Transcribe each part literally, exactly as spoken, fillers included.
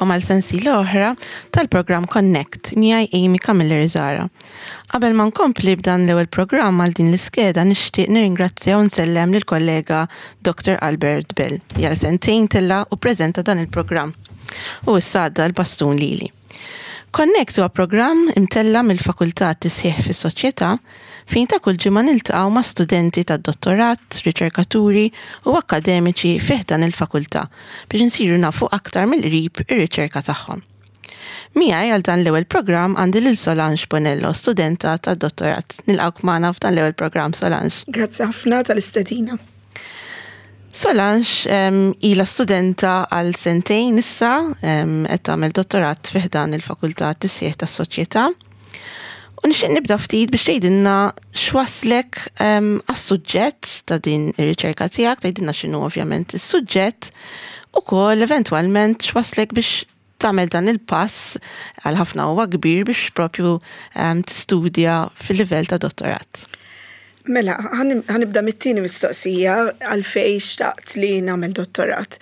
Nilqagħkom għal sensiela oħra tal-programm Connect miegħi Amy Camilleri Zara. Qabel ma nkompli b'dan l-ewwel programm għal din l-iskeda, nixtieq nirringrazzja u nsellem lill kollega Doctor Albert Bell li għal sentejn tella' u ppreżenta dan il-programm. U issa għadda l-bastun lili. Connect huwa programm imtella' mill-Fakultà Tisħiħ fis-Soċjetà fejn ta' kull ġimgħa niltaqgħu ma' studenti tad-dottorat, riċerkaturi u akademiċi fih dan il-fakultà biex insiru nafu aktar mill-qrib ir-riċerka tagħhom. Miegħi għal dan l-ewwel programm għandi lil Solange Bonello, studenta tad-dottorat. Nilqgħuk magħna f'dan l-ewwel programm, Solange. Grazzi ħafna tal-istedina. Solange um, ila studenta għal sentejn issa, qed tagħmel dottorat fi ħdan il-Fakultà Tisħiħ tas-Soċjetà. U nixtieq nibda ftit biex tgħidilna x'waslek għas-suġġett ta' din ir-riċerka tiegħek, tgħidilna x'inhu ovvjament is-suġġett, ukoll eventwalment x'waslek biex tagħmel dan il-pass, għal ħafna huwa kbir, biex propju tistudja fil-livell ta' dottorat. Mela, ħa nibda mit-tieni mistoqsija, għalfejn xtaqt li nagħmel dottorat.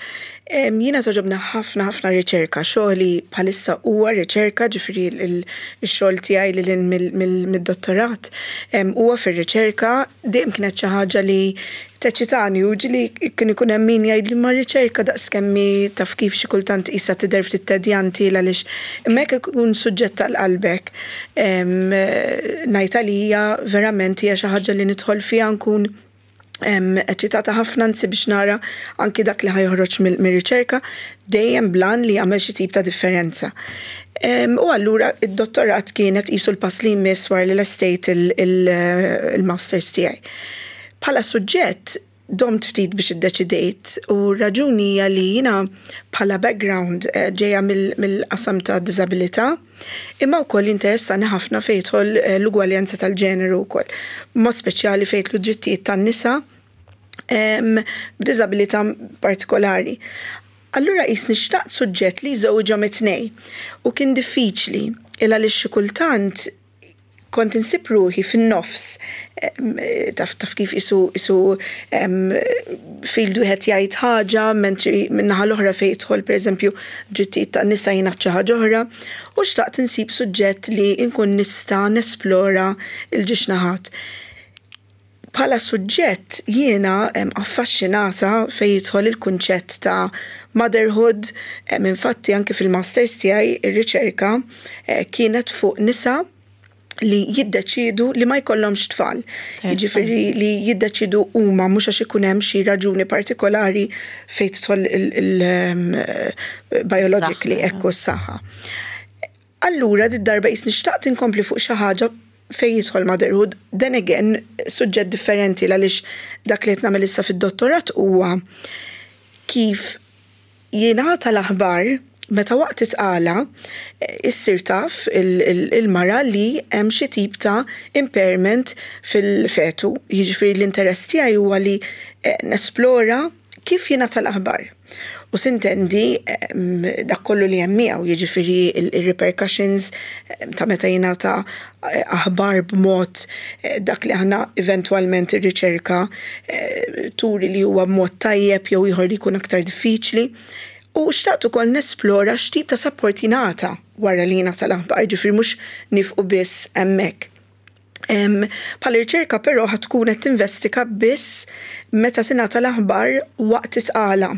Jiena togħġobni ħafna ħafna riċerka, xogħli bħalissa huwa riċerka, ġifieri il-xogħol tiegħi li mid-dottorat huwa fir-riċerka. Dejjem kienet xi ħaġa li teċċitani u ġieli kien ikun hemm min jgħid li ma riċerka daqskemm taf kif xi kultant qisha tidher ftit tedjanti, għaliex imma jekk ikun suġġett tal-qalbek, ngħid għalija verament hija xi ħaġa li nidħol fiha nkun eċċitata ħafna, anzi biex nara anki dak li ħa joħroġ mir-riċerka, dejjem bl-għan li jagħmel xi tip ta' differenza. U allura id-dottorat kienet qisu l-pass li jmiss wara li lestejt il-masters tiegħi. Bħala suġġett domt ftit biex iddeċidejt u raġuni hija li jiena bħala background eh, ġejja mill-qasam ta' diżabilità, imma wkoll interessani ħafna fejn jidħol eh, l-ugwaljanza tal-ġeneru wkoll. Mod speċjali fejn jidħlu drittijiet tan-nisa b'diżabilità partikolari. Allura qisni xtaqt suġġett li jżewġhom it-tnejn u kien diffiċli il għaliex xi kultant kont insib ruħi fin-nofs, taf taf kif qisu qisu field wieħed jgħid ħaġa, mentri min-naħa l-oħra fejn jidħol, pereżempju, drittijiet tan-nisa jingħad xi ħaġa oħra, u xtaqt insib suġġett li nkun nista' nesplora l-żewġ naħat. Bħala suġġett jiena affaxxinata fejn jidħol il-kunċett ta' motherhood. Infatti anke fil-masters tiegħi ir-riċerka eh, kienet fuq nisa li jiddeċidu li ma jkollhomx tfal. Jiġifieri li jiddeċidu huma, mhux għax ikun hemm xi raġuni partikolari fejn tidħol il-biologically ekku s-saħħa. Allura did-darba qisni xtaqt inkompli fuq xi ħaġa fejn jidħol motherhood, then again, suġġett differenti, għaliex dak li qed nagħmel issa fid-dottorat huwa kif jingħata l-aħbar meta waqt it-tqala issir taf il-mara li hemm xi tip ta' impairment fil-fetu. Jiġifieri l-interess tiegħi huwa li eh, nesplora kif jingħata l-aħbar. U sintendi dak kollu li hemm miegħu, jiġifieri il-repercussions ta' meta jingħata eh, aħbar b'mod eh, dak li aħna eventwalment ir-riċerka eh, turi li huwa b'mod tajjeb jew ieħor li jkun aktar diffiċli. U xtaqt ukoll nesplora x'tip ta' support jingħata wara li jingħata l-aħbar, ġifieri mhux nieqfu biss hemmhekk. Bħala riċerka però ħa tkun qed tinvestiga biss meta tingħata l-aħbar waqt it-tqala.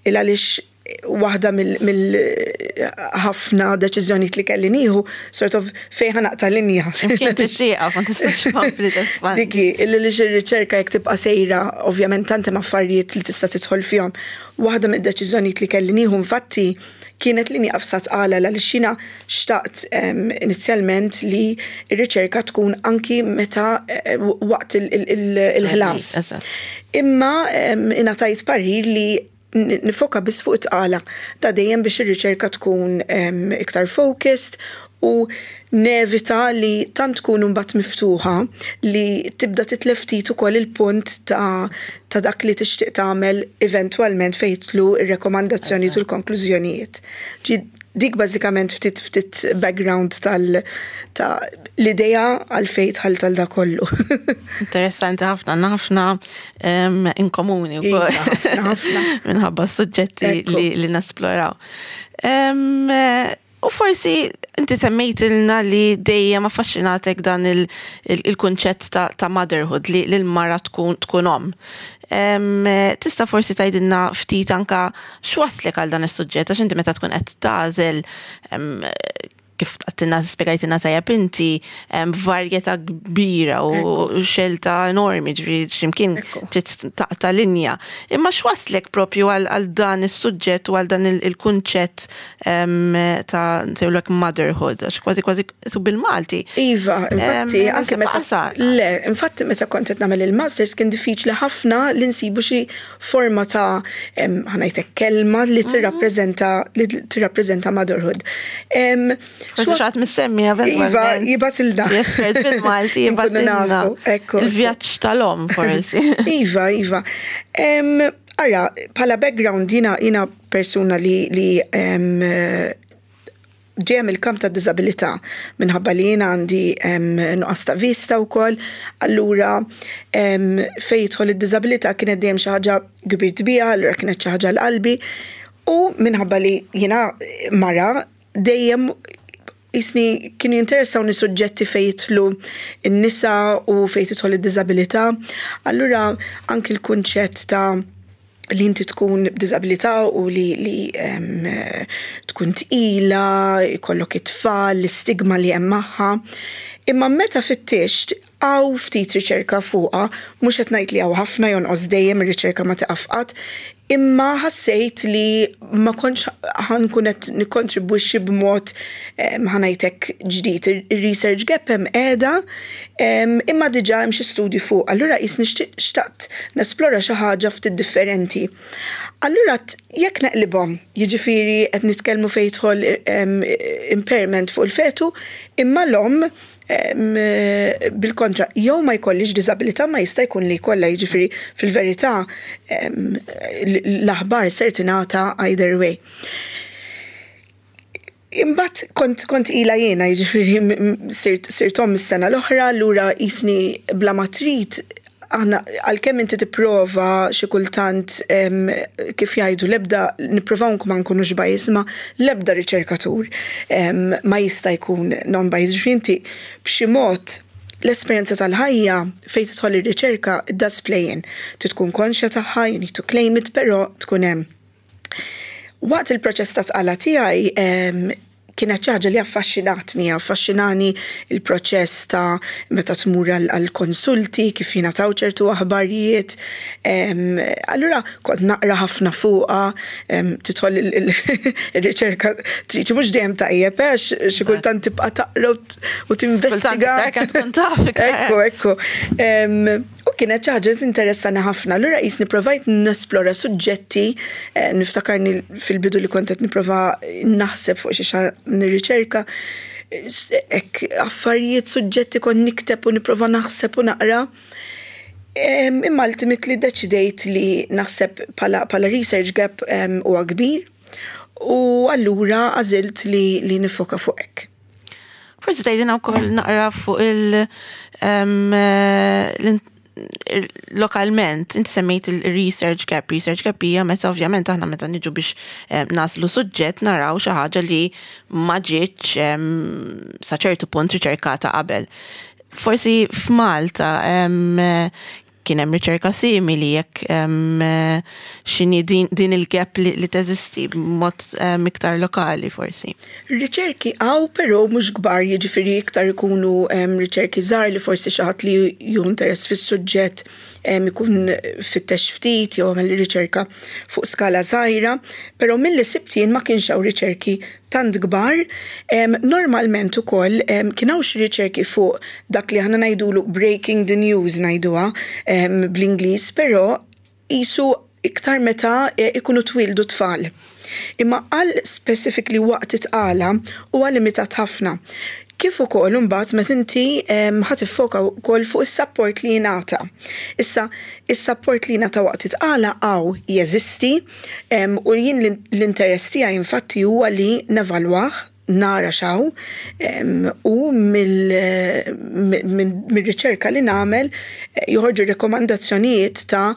Il għaliex waħda mill-ħafna deċiżjonijiet li kelli nieħu, sort of fejn ħa naqta' linja. Kien tixtieqa, ma tistax tkompli tespandi. Diki, illi li r-riċerka jekk tibqa' sejra, ovvjament tant hemm affarijiet li tista' tidħol fihom. Waħda mid-deċiżjonijiet li kelli nieħu infatti kienet li nieqaf sa tqala, għaliex jiena xtaqt inizjalment li r-riċerka tkun anki meta eh, waqt il-ħlas. Imma ingħatajt parir li nifoka biss fuq it-tqala. Ta' dejjem biex ir-riċerka tkun iktar focused. U nevita li tant tkun mbagħad miftuħa li tibda titlef ftit ukoll il-punt ta', ta' dak li tixtieq tagħmel eventwalment fejn jidħlu ir-rekomandazzjoni u l-konklużjonijiet. Ġi dik bażikament ftit ftit background tal ta' l-idea għalfejn dħalt għal da kollu. Interessanti ħafna, għandna ħafna in komuni Iva, ħafna, ħafna. Minħabba suġġetti Ekku. li, li nesploraw. Em, U forsi inti semmejtilna li dejjem affaxxinatek dan il-kunċett ta', ta' motherhood li l-mara tkun tkun om. Em, Tista' forsi tgħidilna ftit anka x'waslek għal dan is-suġġett, għax inti meta tkun qed tagħżel em, kif għedtilna spjegajtilna tajjeb inti em, varjetà kbira u xelta enormi, ġifieri x'imkien Ekku. trid taqta' linja. Imma x'waslek propju għal għal dan is-suġġett u għal dan il- il-kunċett em, ta' nsejħulek motherhood, għax kważi kważi su bil-Malti. Iva, infatti, Em, anke naħseb meta. qasar. Le, infatti meta kont qed nagħmel il-masters kien diffiċli ħafna li nsibu xi forma ta' em, ħa ngħidlek kelma li tirrappreżenta li tirrappreżenta motherhood. Em, Forsi x'was- xi ħadd mis-semmi Iva, eventualment. jibgħatilna. Espert bil-Malti Nkunu jibgħatilna. nafu, ekku, ekku. Il-vjaġġ tal-om forsi. Iva, iva. Em, Ara, bħala background jiena jiena persuna li, li em, ġejja mill-kamp ta' disabilità minħabba li jiena għandi em, nuqqas ta' vista wkoll, allura em, fejn jidħol id-disabilità kienet dejjem xi ħaġa kbirt biha, allura kienet xi ħaġa l-qalbi. U minħabba li jiena mara dejjem jisni kienu jinteressawni suġġetti fejn jidħlu n-nisa u fejn tidħol id-disabilità. Allura anki l-kunċett ta' li inti tkun b'disabilità u li, li em, tkun tqila, jkollok it-tfal, l-istigma li hemm magħha. Imma meta fittixt hawn ftit riċerka fuqha, mhux qed ngħid li hawn ħafna, jonqos dejjem, ir-riċerka ma tieqaf qatt, imma ħassejt li ma kontx ħa nkun qed nikkontribwixxi b'mod em, ħa ngħidlek ġdid. Ir-research gap hemm qiegħda, em, imma diġà hemm xi studji fuq. Allura jisni xtaqt nesplora xi ħaġa ftit differenti. Allura t- jekk neqlibhom, jiġifieri qed nitkellmu fejn jidħol em, impairment fuq il-fetu, imma l-om em, bil-kontra, jew ma jkollix disabilità, ma jista' jkun li jkollha, jiġifieri fil-verità em, l-aħbar ser tingħata either way. Imbagħad kont kont ila jiena, jiġifieri m- m- sirt sirt omm is-sena l-oħra, allura jisni bla ma trid aħna għalkemm inti tipprova xi kultant em, kif jgħidu, l-ebda nippruvaw ma nkunux bias, ma l-ebda riċerkatur em, ma jista' jkun non-bias. Ġifieri inti b'xi mod l-esperjenza tal-ħajja fejn tidħol ir-riċerka, it does play in. Trid tkun konxja tagħha, you need to claim it, però tkun hemm. Waqt il-proċess ta' tqala tiegħi em, kienet xi ħaġa li affaxxinatni, affaxxinani il-proċess ta' meta tmur għal-konsulti, kif jingħataw ċertu aħbarijiet. Em, Allura kont naqra ħafna fuqha, em, tidħol il- il- ir-riċerka triċi mhux dejjem tajjeb, għax xi kultant tibqa' taqra u t- u tinvestiga. Kultant iktar kemm tkun taf iktar. Ekku, ekku. Em, U kienet xi ħaġa interessani ħafna. Allura jisni provajt nesplora suġġetti, eh, niftakarni fil-bidu li kont qed nipprova naħseb fuq xi xa nirriċerka, ek affarijiet, suġġetti kont nikteb u nipprova naħseb u naqra. Em, Imma ultimately deċidejt li naħseb bħala, bħala research gap em, huwa kbir u allura għażilt li, li nifoka fuq hekk. Forsi tgħidilna wkoll naqra fuq il- em, l- lokalment, inti semmejt il-research gap. Research gap hija meta ovvjament aħna meta niġu biex em, nagħżlu suġġett naraw xi ħaġa li ma ġietx em, sa ċertu punt riċerkata qabel. Forsi f'Malta em, kien hemm riċerka simili jekk em, x'inhi din, din il-gap li, li teżisti b'mod em, iktar lokali forsi. Riċerki hawn, però mhux kbar, jiġifieri iktar ikunu em, riċerki żgħar li forsi xi ħadd li ju interess fis-suġġett em, ikun fittex ftit jew għamel riċerka fuq skala żgħira, però milli sibt jien ma kienx hawn riċerki tant kbar. Em, normalment ukoll em, kien hawn xi riċerki fuq dak li aħna ngħidulu breaking the news, ngħiduha em, bl-Ingliż, però jisu Iktar meta eh, ikunu twildu tfal. Imma għal specifically waqt it-tqala huwa limitat ħafna. Kif ukoll imbagħad meta inti ħa tiffoka wkoll fuq is-support li jingħata. Issa, is-support li jingħata waqt it-tqala hawn jeżisti u jien l-interess tiegħi infatti huwa li nevalwah, nara x'hawn u mill-riċerka li nagħmel eh, joħorġu rekomandazzjonijiet ta'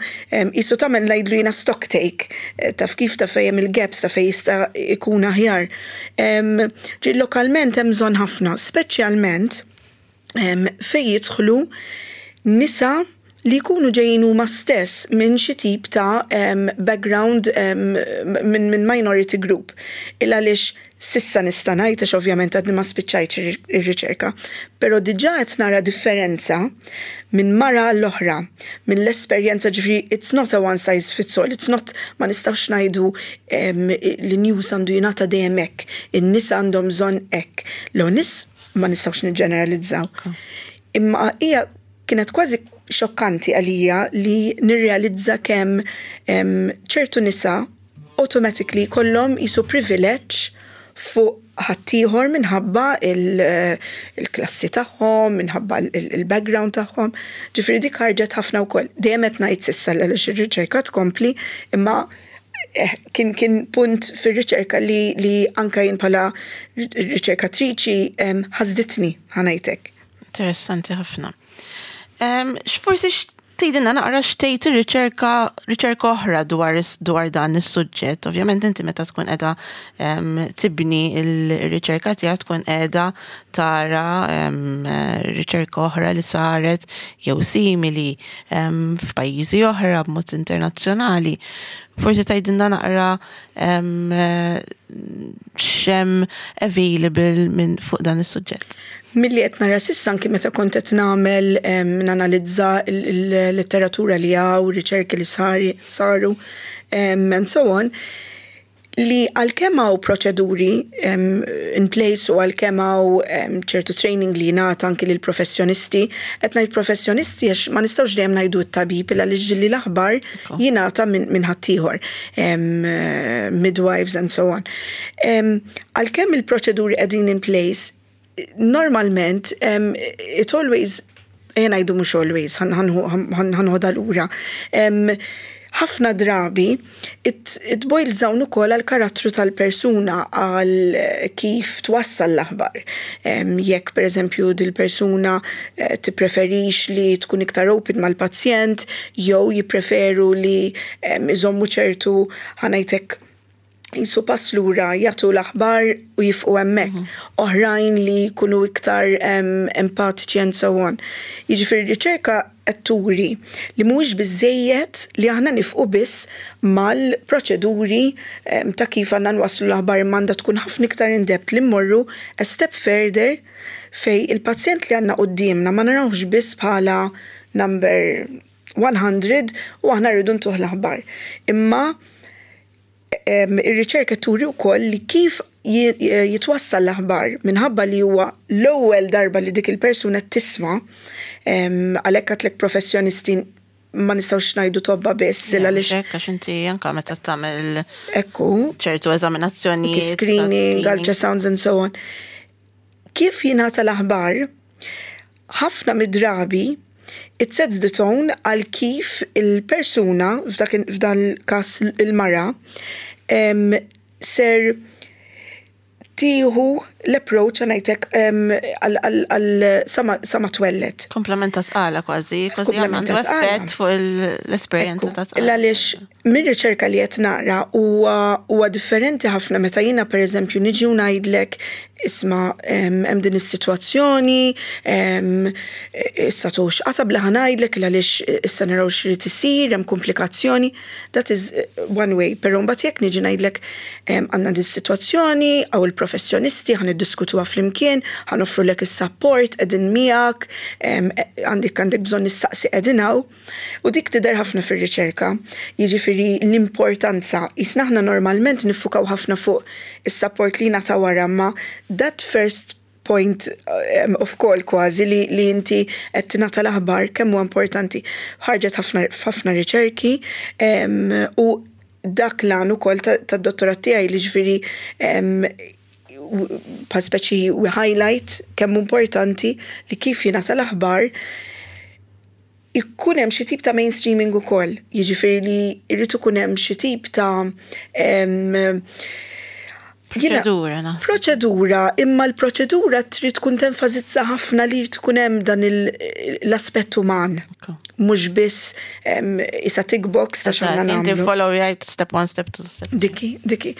jisu tagħmel, ngħidlu jiena, stock take, eh, taf kif, ta' fejn il-gaps, ta' fejn jista' ikun aħjar. Ġi lokalment hemm bżonn ħafna, speċjalment fejn jidħlu nisa li jkunu ġejjin huma stess minn xi tip ta' background minn min minority group. Il għaliex s'issa nista' ngħid, għax ovvjament għadni ma spiċċajtx ir-riċerka, però diġà qed nara differenza minn mara l-oħra, minn l-esperjenza. Ġifieri it's not a one size fits all, it's not, ma nistgħux ngħidu li news għandu jingħata dejjem hekk, in-nisa għandhom bżonn hekk. L-nies ma nistgħux niġġeneralizzaw. Imma hija kienet kważi xokkanti għalija li nirrealizza kemm ċertu nisa automatically kollhom jisu privileġġ fuq ħaddieħor minħabba il-klassi tagħhom, minħabba il-background tagħhom. Ġifieri dik ħarġet ħafna wkoll. Dejjem qed ngħid s'issa għaliex ir-riċerka tkompli, imma eh, kien kien punt fir-riċerka li, li anka jien bħala riċerkatriċi ħasditni, ħa ngħidlek. Interessanti ħafna. X'forsi tgħidilna naqra x'tgħid ir-riċerka, riċerka oħra dwar dwar dan is-suġġett? Ovvjament inti meta tkun qiegħda tibni il-riċerka tiegħek tkun qiegħda tara riċerka oħra li saret jew simili f'pajjiżi oħra b'mod internazzjonali. Forsi tgħidilna naqra x'hemm available minn fuq dan is-suġġett. Milli qed nara s'issa, anki meta kont qed nagħmel nanalizza l-letteratura li hawn, riċerki li saru and so on, li għalkemm hawn proċeduri in place u għalkemm hawn ċertu training li jingħata anki lil professjonisti, qed ngħid professjonisti għax ma nistgħux dejjem ngħidu t-tabib, għaliex ġieli l-aħbar jingħata minn ħaddieħor, midwives and so on. Għalkemm il-proċeduri qegħdin in place, normalment it always, ejja ngħidu mhux always, ħa nħodha lura. Ħafna drabi it, it boils down ukoll għal karattru tal-persuna, għal kif twassal l-aħbar. Jekk per eżempju dil-persuna eh, tippreferix li tkun iktar open mal-pazjent jew jippreferu li iżommu ċertu, ħa ngħidlek, jisu pass lura, jagħtu l-aħbar u jieqfu hemmhekk. Mhm. Oħrajn li jkunu iktar empatiċi and so on. Jiġifieri riċerka qed turi li mhuwiex biżejjed li aħna nieqfu biss mal-proċeduri ta' kif għandna nwasslu l-aħbar, m'għandha tkun ħafna iktar in depth, li mmorru a step further fej il-pazjent li għandna quddiemna ma narawx biss bħala number one hundred u aħna rridu ntuh l-aħbar. Imma ir-riċerka turi wkoll li kif jitwassal l-aħbar, minħabba li huwa l-ewwel darba li dik il-persuna tisma', għalhekk għedtlek professjonisti, ma nistgħux ngħidu tobba biss għaliex għax inti anka meta tagħmel Ekku. ċertu eżaminazzjoni. Screening, ultrasounds and so on. Kif jingħata l-aħbar, ħafna mid-drabi it sets the tone għal kif il-persuna, f'dan il-kas il-mara, ser tieħu l-approach, ħa ngħidlek, għal sa ma twelled. Komplement ta' tqala kważi, kważi għandu effett fuq l-esperjenza ta' tqala. Għaliex mir-riċerka li qed nara huwa differenti ħafna meta jiena pereżempju niġi u ngħidlek, "Isma', hemm din is-sitwazzjoni, issa tux qatabla, ħa ngħidlek għaliex issa naraw x'irid isir, hemm komplikazzjoni." That is eh, one way, però mbagħad jekk niġi ngħidlek, "Għandna din is-sitwazzjoni, hawn il-professjonisti, ħa niddiskutuha flimkien, ħa noffrulek is-support, qegħdin miegħek, għandek għandek bżonn issaqsi, qegħdin hawn." U dik tidher ħafna fir-riċerka. Jiġifieri l-importanza, jisna aħna normalment niffukaw ħafna fuq is-support li nata wara, ma that first point um, of call kważi li, li inti qed tingħata l-aħbar, kemm huwa importanti. Ħarġet ħafna riċerki um, u dak l-għan ukoll tad-dottorat tiegħi, li ġifieri pa speċi we highlight kemm importanti li kif jingħata l-aħbar ikun hemm xi tip ta' mainstreaming ukoll. Jiġifieri li jrid ikun hemm xi tip ta' Proċedura. Proċedura, imma l-proċedura trid tkun tenfasizza ħafna li tkun hemm dan l-aspett uman. Mhux biss isa tick box ta' x'għandna nagħmlu. Inti follow jgħid step one, step two, step. Diki, diki.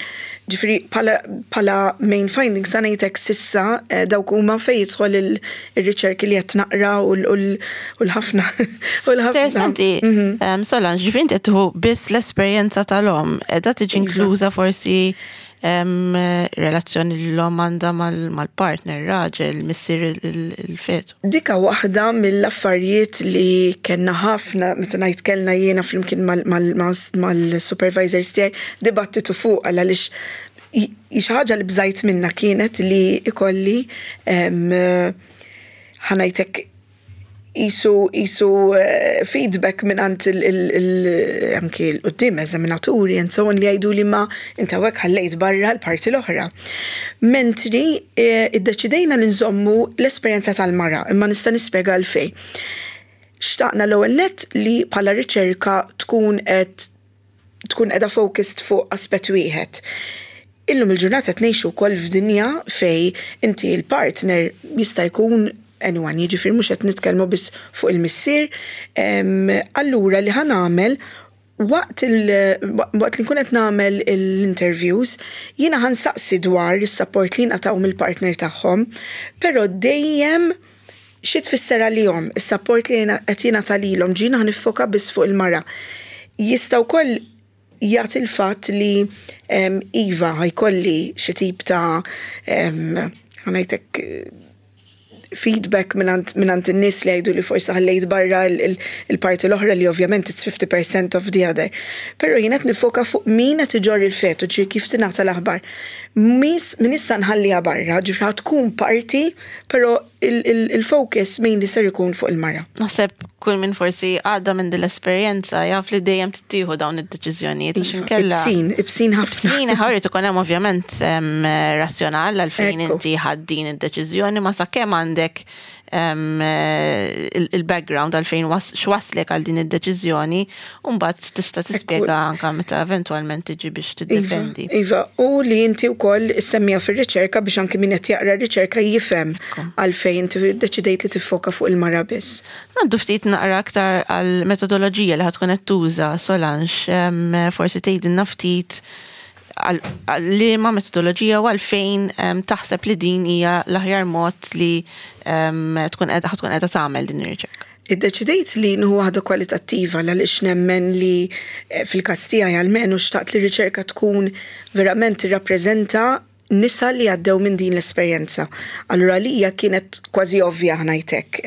Ġifieri bħala main findings sa ngħidlek s'issa eh, dawk huma fejn jidħol il-riċerki li qed naqra u l-ħafna. Interessanti, mhm. Solange, ġifieri inti qed biss l-esperjenza tal-omm, qiegħda tiġi iva. inkluża forsi relazzjoni li l-omm għandha mal-partner, raġel, missier il-fetu? Dika waħda mill-affarijiet li kellna ħafna, meta ngħid kellna, jiena flimkien mal-supervisors tiegħi, dibattitu fuq, għaliex xi ħaġa li bżajt minna kienet li ikolli, ħa ngħidlek, jisu jisu eh, feedback minn għand anki l-qoddim eżaminaturi and so on li jgħidu li ma inta hekk ħallejt barra l-parti l-oħra. Mentri eh, iddeċidejna li nżommu l-esperjenza tal-mara, imma nista' nispjega għalfejn. Xtaqna l-ewwel net li bħala riċerka tkun qed tkun qiegħda focused fuq aspett wieħed. Illum il-ġurnata qed ngħixu wkoll f'dinja fej inti l-partner jista' jkun anyone, jiġifieri mhux qed nitkellmu biss fuq il-missier. Allura li ħa nagħmel waqt waqt li nkun qed nagħmel l-interviews, jiena ħa nsaqsi dwar is-support li ngħataw mill-partner tagħhom, però dejjem xi tfisser għalihom is-support li qed jingħata lilhom, jiena ħa niffoka biss fuq il-mara. Jista' wkoll jagħti il-fatt li iva, ħa jkolli xi tip ta', ħa ngħidlek, feedback mingħand in-nies li jgħidu li forsi ħallejt barra il-parti l-oħra, li ovvjament it's fifty percent of the other. Però jien qed nifoka fuq min qed iġorr il-fetu, ġi kif tingħata l-aħbar. Min issa nħalliha barra, ġifieri tkun parti, però il-focus mainly ser ikun fuq il-mara. Naħseb kull min forsi għadda minn din l-esperjenza jaf li dejjem tittieħu dawn id-deċiżjonijiet. Iva, ibsin, ibsin ħafna. Ibsin, ħarri ikun hemm ovvjament razzjonal għalfejn inti ħadt din id-deċiżjoni, ma sakemm għandek il-background għalfejn x'waslek għal din id-deċiżjoni, u mbagħad tista' tispjega anka meta eventwalment tiġi biex Iva, tiddefendi. Iva, u li inti wkoll issemmija fir-riċerka biex anki min qed jaqra r-riċerka jifhem għalfejn inti deċidejt li tiffoka fuq il-mara biss. Ngħaddu ftit naqra aktar għal metodoloġija li ħa tkun qed tuża, Solange, forsi tgħidilna ftit għal liema metodoloġija u għalfejn taħseb li din hija l-aħjar mod li tkun qiegħda tkun qiegħda tagħmel din ir-riċerka. Iddeċidejt li nieħu waħda kwalitattiva għaliex nemmen li eh, fil-każ tiegħi almenu xtaqt li riċerka tkun verament tirrappreżenta nisa li għaddew minn din l-esperjenza. Allura li hija kienet kważi ovvja, ħa ngħidlek.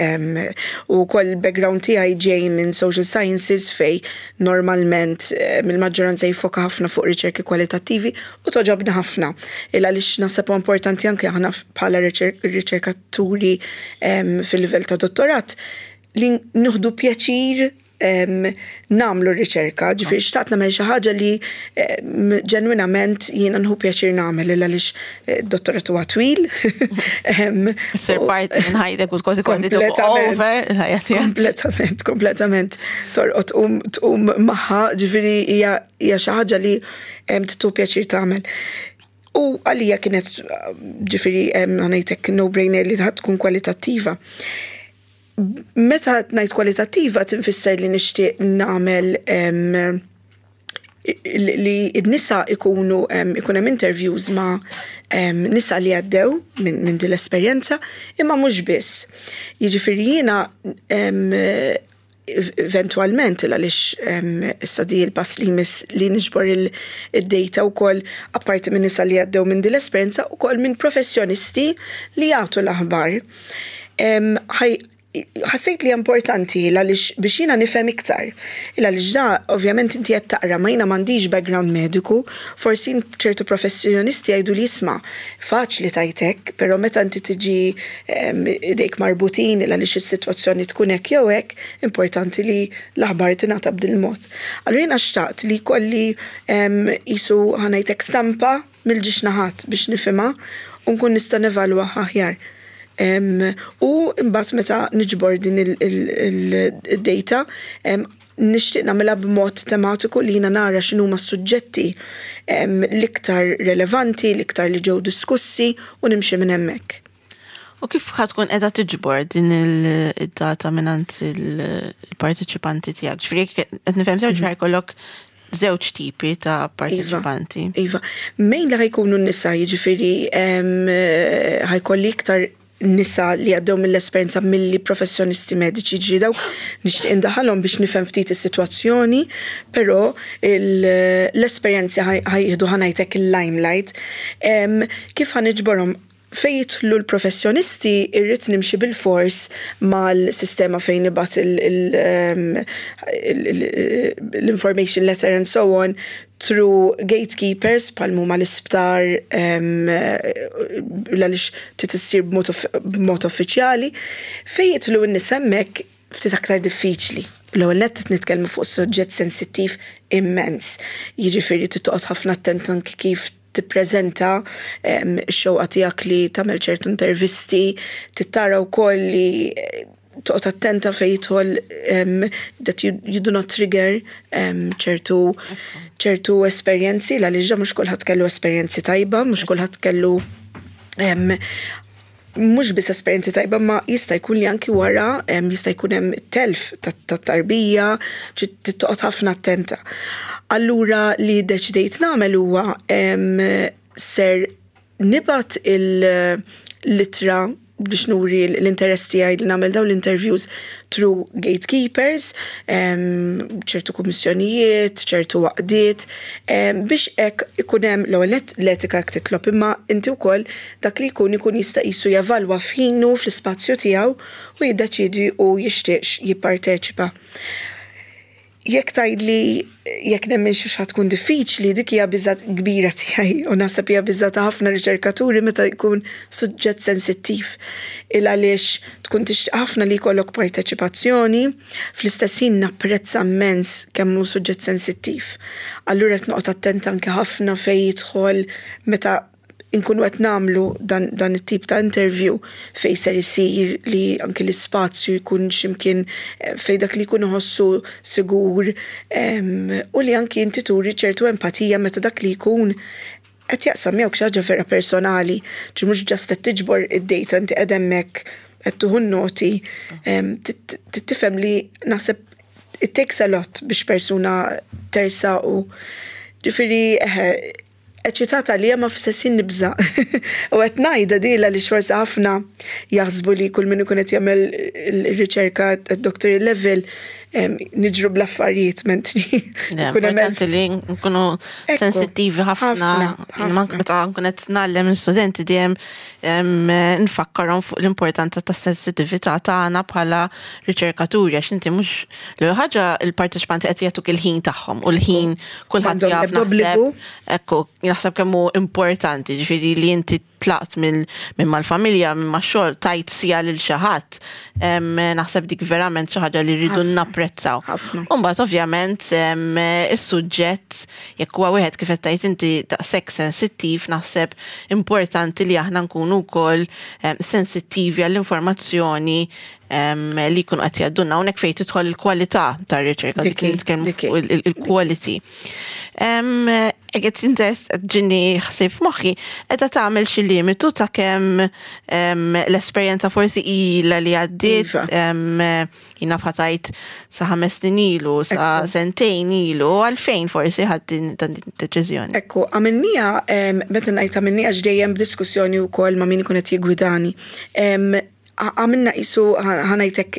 U kol background tiegħi ġej minn social sciences fej normalment mill-maġġoranza jiffoka ħafna fuq riċerki kwalitattivi u togħġobni ħafna. Il għaliex naħseb importanti anke aħna bħala riċerkaturi fil-livell ta' dottorat li nieħdu pjaċir nagħmlu riċerka, ġifieri xtaqt nagħmel xi ħaġa li ġenwinament jiena nieħu pjaċir nagħmel, il għaliex eh, dottorat huwa twil. Sir parti minn ħajtek u kważi kważi over il-ħajja tiegħek. Kompletament, kompletament. Torqod tqum magħha, ġifieri hija xi ħaġa li tieħu pjaċir tagħmel. U għalija kienet, ġifieri ħa ngħidlek, no-brainer li tkun kwalitattiva. Meta ngħid kwalitattiva tinfisser li nixtieq nagħmel li n-nisa ikunu ikun hemm interviews ma' nisa li għaddew minn min din l-esperjenza, imma mhux biss. Jiġifieri jiena eventualment, għaliex issa di l-pass li jmiss li niġbor il-data wkoll apparti minn nisa li għaddew minn din l-esperjenza, ukoll minn professjonisti li jagħtu l-aħbar. Ħassejt li importanti għaliex biex jiena nifhem iktar. Għaliex da, ovvjament, inti qed taqra, ma jiena m'għandix background mediku, forsi ċertu professjonisti jgħidu li isma', faċli tajtek, però meta inti tiġi idejk marbutin għaliex is-sitwazzjoni tkun hekk jew hekk, importanti li l-aħbar tingħata b'dil mod. Allura jiena xtaqt li jkolli qisu, ħa ngħidlek, stampa mill-żewġ naħat biex nifhimha u nkun nista' nevalwa aħjar. U mbagħad meta niġbor din il-data, nixtieq nagħmilha b'mod tematiku li jiena nara x'inhuma s-suġġetti l-iktar relevanti, l-iktar li ġew diskussi, u nimxi minn hemmhekk. U kif ħa tkun qiegħda tiġbor din il-data mingħand il-parteċipanti tiegħek? Ġifieri qed nifhem sew, ġifieri jkollok żewġ tipi ta' parteċipanti. Iva, iva. Mejn li ħa jkunu n-nisa, jiġifieri ħa jkolli iktar nisa li għaddew mill-esperjenza milli professjonisti mediċi, ġi dawk nixtieq indaħalhom biex nifhem ftit is-sitwazzjoni, però l-esperjenzi ħa jieħdu, ħa ngħidlek, il-limelight. Kif ħa niġborhom? Fejn jidħlu l-professjonisti, irrid nimxi bil-fors mal-sistema fejn nibgħat l-information letter and so on through gatekeepers bħal huma l-isptar, għaliex trid issir b'mod uffiċjali. Fejn jidħlu n-nies, hemmhekk ftit aktar diffiċli. L-ewwel nett nitkellmu fuq suġġett sensittiv immens. Jiġifieri trid ħafna attent anki kif tippreżenta x-xewqa tiegħek li tagħmel ċertu intervisti, trid tara wkoll li toqgħod attenta fejn jidħol that you, you do not trigger ċertu ċertu esperjenzi, għaliex mhux kulħadd kellu esperjenzi tajba, mhux kulħadd kellu mhux biss esperjenzi tajba, ma jista' jkun li anki wara jista' jkun hemm telf tat-tarbija, toqgħod ħafna attenta. Allura li deċidejt nagħmel huwa ser nibgħat il-ittra biex nuri l-interess tiegħi li nagħmel dawn l-interviews through gatekeepers, ċertu kummissjonijiet, ċertu għaqdiet, biex hekk ikun hemm l-ewwel l-etika jekk titlob, imma inti wkoll dak li jkun ikun jista' qisu jevalwa f'ħinu, fl-ispazju tiegħu, u jiddeċidi u jixtieqx jipparteċipa. Jekk tgħidli jekk nemmen xi tkun diffiċli, dik hija biża' kbira tiegħi u naħseb hija biża' ta' ħafna riċerkaturi meta jkun suġġett sensittiv. Il għaliex tkun tixtieq ħafna li jkollok parteċipazzjoni, fl-istess ħin napprezza immens kemm hu suġġett sensittiv. Allura qed noqgħod attenta anke ħafna fejn jidħol meta inkunu qed nagħmlu dan, dan it-tip ta' interview, fejn ser isir, li anke l-ispazju jkun x'imkien eh, fejn dak li jkun iħossu sigur u li anke inti turi ċertu empatija meta dak li jkun qed jaqsam miegħek xi ħaġa vera personali, ġi mhux just qed tiġbor id-data, inti qed hemmhekk qed tieħu noti, tifhem li naħseb it takes a lot biex persuna tersaq u ġifieri eċitata li ma fl-istess nibża'. U qed ngħidha dila li forsi ħafna jaħsbu li kull min ikun qed jagħmel il-riċerka at doctorate level niġru bl-affarijiet, mentri. Importanti li nkunu sensittivi ħafna. Meta nkun qed ngħallem l-studenti dejjem nfakkarhom fuq l-importanza tas sensitività tagħna bħala riċerkaturi, għax inti mhux l ħaġa, il-parteċipanti qed jagħtuk il-ħin tagħhom u l-ħin kulħadd jaf. Ekku, naħseb kemm hu importanti, ġifieri li inti tlaqt minn mal-familja, minn ma' xogħol, tajt siegħa lil xi ħadd. Naħseb dik verament xi ħaġa li rridu napprezzaw. Umbagħad ovvjament is-suġġett, jekk huwa wieħed, kif qed tgħid inti, daqshekk sensittiv, naħseb importanti li aħna nkunu wkoll sensittivi għall-informazzjoni li jkunu qed jgħaddulna, hawnhekk fejn tidħol il-kwalità tar-riċerka, dik nitkellmu fuq il-quality. Eget interess ġini ħsieb f'moħħi, qiegħda tagħmel xi limitu ta' kemm l-esperjenza forsi ilha li għaddiet, jiena fatajt sa ħames snin ilu, sa sentejn ilu, għalfejn forsi ħadt din deċiżjoni? Ekku, għamilnieha, meta ngħid għamilnieha, dejjem b'diskussjoni wkoll ma' min ikun qed jiggwidani. Għamilna qisu, ħa ngħidlek,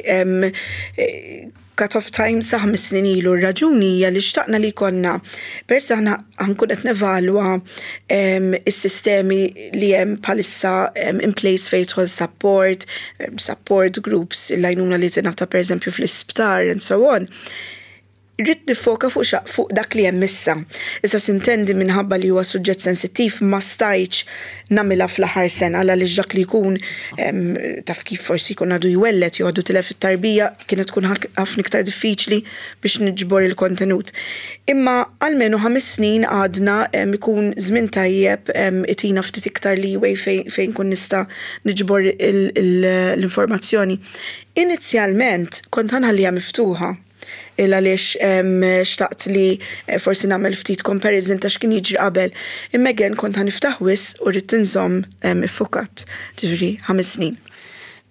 Cut-off time sa ħames snin ilu. Raġuni hija li xtaqna li konna, peress aħna ħa nkun qed nevalwa is-sistemi li hemm bħalissa in place fejn jidħol support, support groups, l-għajnuna li tingħata pereżempju fl-isptar and so on, rrid nifoka fuq fuq dak li hemm issa. Issa s'intendi, minħabba li huwa suġġett sensittiv, ma stajtx nagħmilha fl-aħħar sena, għaliex dak li jkun, taf kif, forsi jkun għadu jwellet jew għadu tilef it-tarbija, kienet tkun ħafna iktar diffiċli biex niġbor il-kontenut. Imma almenu ħames snin għadna ikun żmien tajjeb, itina ftit iktar leeway fejn kun nista' niġbor l-informazzjoni. Inizjalment kont ħa nħalliha miftuħa il għaliex xtaqt li eh, forsi nagħmel ftit comparison ta' x'kien jiġri qabel. Imma again kont ħa niftaħ wisq u rrid inżomm iffukat, ġifieri ħames snin.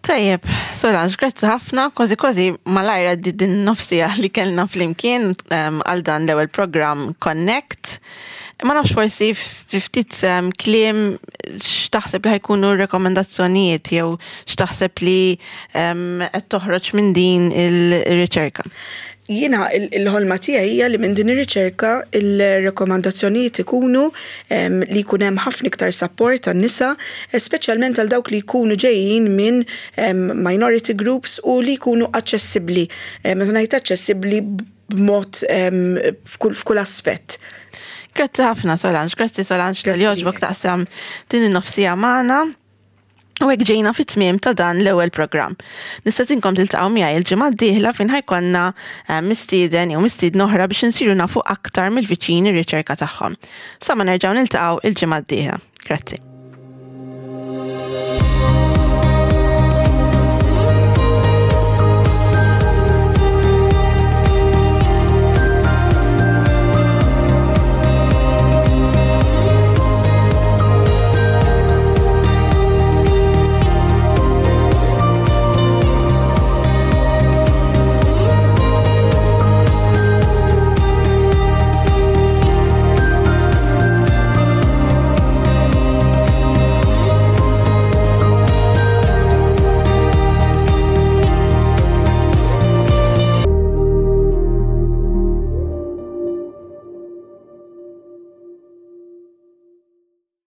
Tajjeb, Solange, grazzi ħafna, kważi kważi malajr din nofs siegħa li kellna flimkien għal dan l-ewwel program Connect. Ma nafx, forsi ftit kliem, x'taħseb li ħa jkunu rekomendazzjonijiet jew x'taħseb li qed toħroġ minn din il-riċerka? Jiena il-ħolma tiegħi hija li minn din ir-riċerka il-rekomandazzjonijiet ikunu li jkun hemm ħafna iktar support għan-nisa, speċjalment għal dawk li jkunu ġejjin minn minority groups u li jkunu aċċessibbli. Meta ngħid aċċessibbli, b'mod f'kull aspett. Grazzi ħafna, Solange, grazzi Solange li għoġbok taqsam din in-nofs siegħa magħna. U hekk ġejna fit-tmiem ta' dan l-ewwel programm. Nistedinkom tiltaqgħu miegħi il-ġimgħa d-dieħla fejn ħa jkollna eh, mistieden jew mistiedna oħra biex insiru nafu aktar mill-viċin ir-riċerka tagħhom. Sa ma nerġgħu niltaqgħu il-ġimgħa d-dieħla. Grazzi.